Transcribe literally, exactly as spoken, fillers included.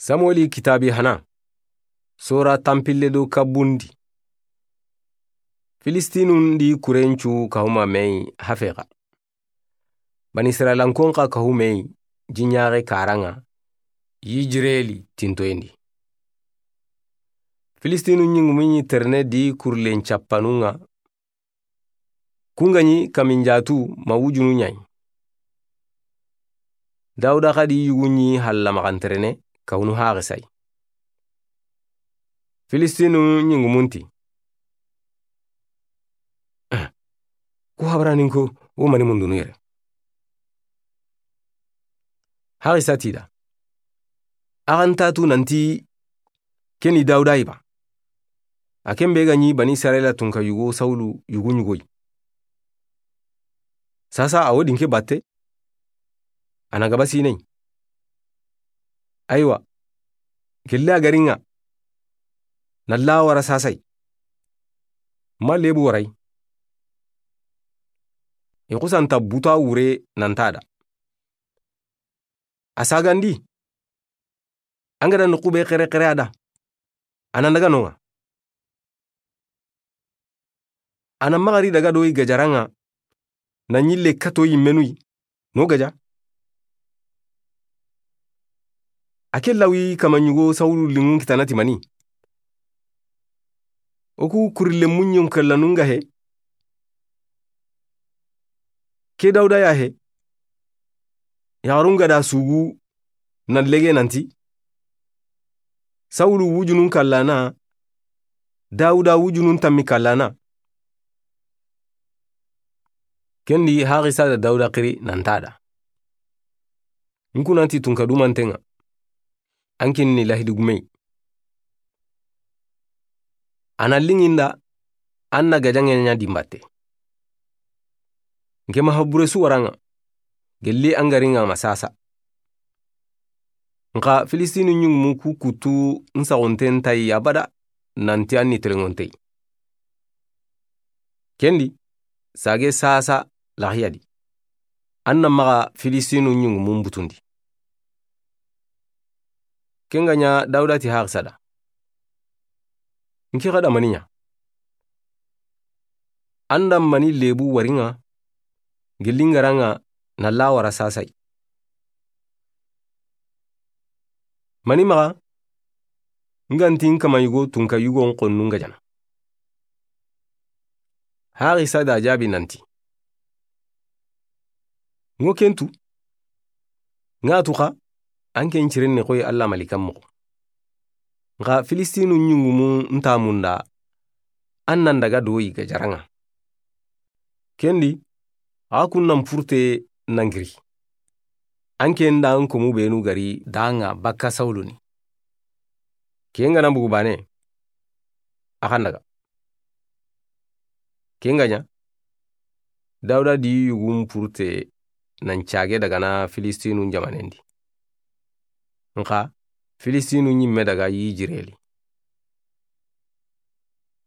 Samueli kitaabi hana. Sora tanpille do kabundi. Filistinun di kurencu kahuma mei hafexa. Bani Israilankon xa kahumei jiɲaxe karaŋa Yijireli tintoyendi. Filistinu ɲingumuɲi terene di kurlen cappanuŋa. Kungaɲi kaminjatu ma wujunu ɲayi. Dawuda xa di yuguɲi halla maxanterene kawunu haxisai. Filistinu ɲingumunti. Ku habaranin ko wo mani mundunu yere. Haxisa tida. Axan tatu nanti keni Dawuda iba. A ken be ga ɲi Bani Israila tunka yugo Sawulu yugu ɲugoyi. Sasa a wo dinke batte. A na gaba sinai. Aywa. Gelle a gariŋa. Na la wara sasai. Ma lebu warai. I xusanta buta wure nantada. A sagandi. An ga da noqu be xere xere a da. A na daga noŋa. A na maxari daga do i gajaraŋa. Na ɲille kato yi menuyi. No gaja. A ke lawi kama ɲugo Sawulu liŋun kitanati mani. O ku kurile muɲun kallanun ga he. Ke Dawuda ya he. Yaxarun ga da sugu na lege nanti. Sawulu wujunun kallana. Dawuda wujunun tammi kallana. Kendi haxisa da Dawuda xiri nantada. Nkunanti tunka dumanteŋa. An kinni lahidi gumei. A na liŋinda an na gajaŋe ɲa dimbatte. Nke maha bure su waraŋa. Gelli an gariŋa ma sasa. Nxa Filistinu ɲingumu ku kutu n saxonten tayi abada nanti an ni tereŋontey. Kendi sage sasa laxiyadi. An na maxa Filistinu ɲingumun butundi. Ken ga ɲa Dawuda ti haxisa da. Nke xa da mani ɲa. An da mani lebu wariŋa. Gelli n garaŋa na la wara sasai. Mani maxa. N ga nti n kama yugo tunka yugo n xonnun gajana. Haxisa da jabi nanti. Ŋo kentu. Ŋa tuxa. An ken cirinne xoyi Alla malikan moxo. Nxa Filistinu ɲingumu nta munda. An nan daga doyi gajaraŋa. Kendi. A kun nan purte nan giri. An ken da an komu benu gari daŋa bakka Sawulu ni. Ken ga na bugu bane. A xan daga. Ken ga ɲa. Dawuda di yugun purte nan cage daga na Filistinu jamanendi. Nxa Filistinu ɲimme daga Yijireli.